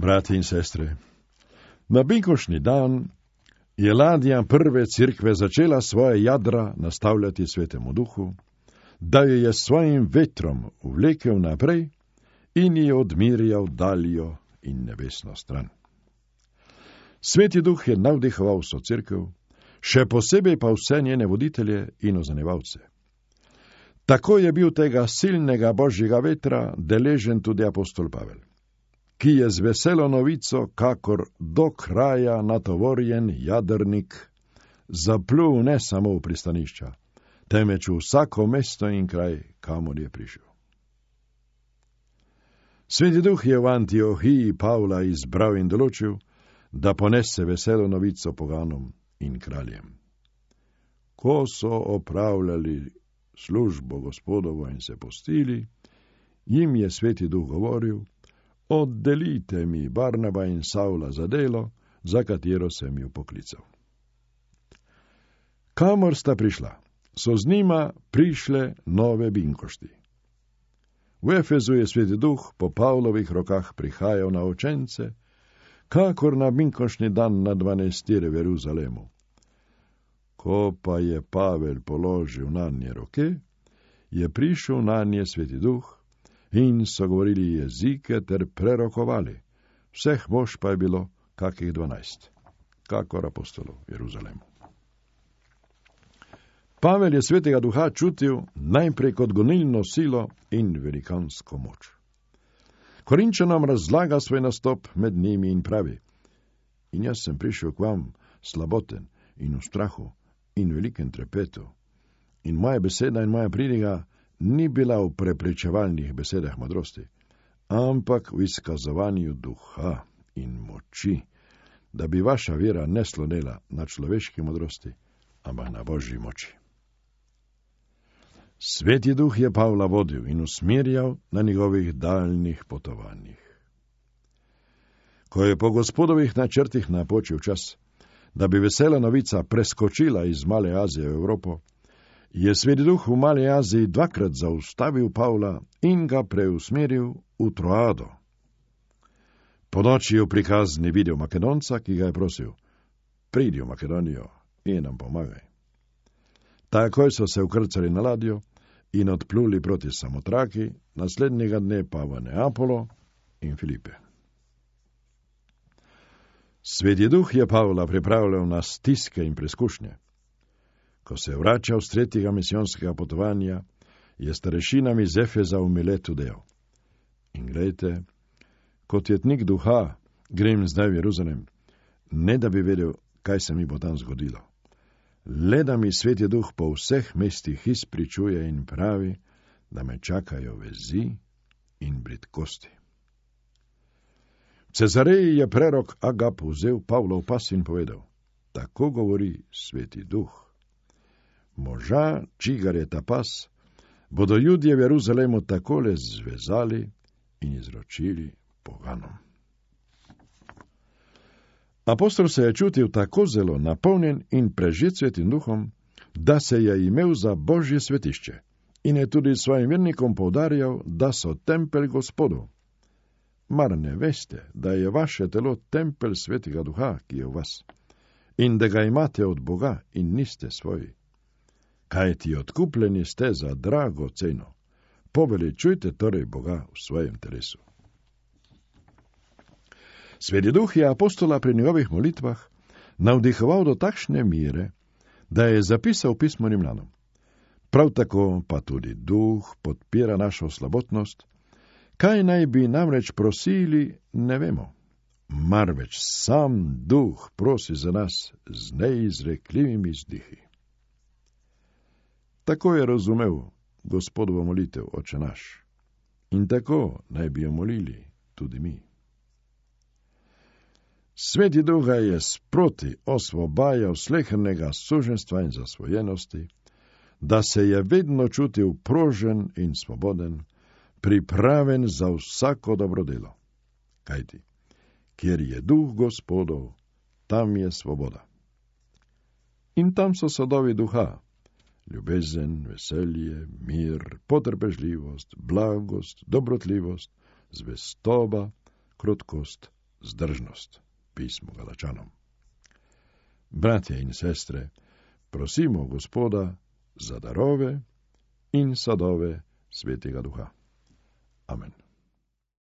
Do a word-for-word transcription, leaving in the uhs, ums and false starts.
Brati in sestre, na binkošnji dan je ladja prve cerkve začela svoje jadra nastavljati Svetemu Duhu, da jo je svojim vetrom vlekel naprej in jo odmirjal daljo in nebesno stran. Sveti Duh je navdihoval vso cerkev, še posebej pa vse njene voditelje in ozanevalce. Tako je bil tega silnega božjega vetra deležen tudi apostol Pavel, ki je z veselo novico, kakor do kraja natovorjen jadrnik, zaplul ne samo v pristanišča, temveč v vsako mesto in kraj, kamor je prišel. Sveti Duh je v Antiohiji Pavla izbral in določil, da ponese veselo novico poganom in kraljem. Ko so opravljali službo Gospodovo in se postili, jim je Sveti Duh govoril: oddelite mi Barnaba in Savla za delo, za katero sem ju poklical. Kamor sta prišla, so z njima prišle nove binkošti. V Efezu je Sveti Duh po Pavlovih rokah prihajal na učence, kakor na binkošni dan na dvanajstire v Jeruzalemu. Ko pa je Pavel položil nanje roke, je prišel nanje Sveti Duh in so govorili jezike ter prerokovali. Vseh mož pa je bilo kakih dvanajst, kakor apostolov v Jeruzalemu. Pavel je Svetega Duha čutil najprej kot gonilno silo in velikansko moč. Korinčanom razlaga svoj nastop med njimi in pravi: in jaz sem prišel k vam slaboten in v strahu in velikem trepetu, in moja beseda in moja pridiga ni bila v prepričevalnih besedah modrosti, ampak v izkazovanju duha in moči, da bi vaša vera ne slonela na človeški modrosti, ampak na božji moči. Sveti Duh je Pavla vodil in usmerjal na njegovih daljnih potovanjih. Ko je po Gospodovih načrtih napočil čas, da bi vesela novica preskočila iz Male Azije v Evropo, je Sveti Duh v Mali Aziji dvakrat zaustavil Pavla in ga preusmeril v Troado. Po noči je v prikazni videl Makedonca, ki ga je prosil: pridi v Makedonijo in nam pomagaj. Takoj so se ukrcali na ladjo in odpluli proti Samotraki, naslednjega dne pa v Neapolo in Filipe. Sveti Duh je Pavla pripravljal na stiske in preskušnje. Ko se je vračal z tretjega misijonskega potovanja, je starešinam iz Efeza v Miletu dejal: in glejte, kot jetnik duha grem zdaj v Jeruzalem, ne da bi vedel, kaj se mi bo tam zgodilo. Le da mi Sveti Duh po vseh mestih izpričuje in pravi, da me čakajo vezi in bridkosti. V Cezareji je prerok Agap vzel Pavlov pas in povedal: tako govori Sveti Duh. Moža, čigar je ta pas, bodo Judje v Jeruzalemu takole zvezali in izročili poganom. Apostol se je čutil tako zelo napolnjen in prežet Svetim Duhom, da se je imel za božje svetišče in je tudi svojim vernikom poudarjal, da so tempelj Gospodov. Mar ne veste, da je vaše telo tempelj Svetega Duha, ki je v vas, in da ga imate od Boga in niste svoji? Kaj ti odkupljeni ste za drago ceno? Poveličujte torej Boga v svojem telesu. Sveti Duh je apostola pri njegovih molitvah navdihoval do takšne mere, da je zapisal pismo Rimljanom. Prav tako pa tudi Duh podpira našo slabotnost. Kaj naj bi namreč prosili, ne vemo. Marveč sam Duh prosi za nas z neizrekljivimi vzdihi. Tako je razumel Gospodovo molitev, Oče naš. In tako naj bi jo molili tudi mi. Sveti Duh ga je sproti osvobajal slehernega suženstva in zasvojenosti, da se je vedno čutil prožen in svoboden, pripraven za vsako dobro delo. Kajti, kjer je Duh Gospodov, tam je svoboda. In tam so sadovi duha: ljubezen, veselje, mir, potrpežljivost, blagost, dobrotljivost, zvestoba, krotkost zdržnost. Pismo Galačanom. Bratje in sestre, prosimo Gospoda za darove in sadove Svetega Duha. Amen.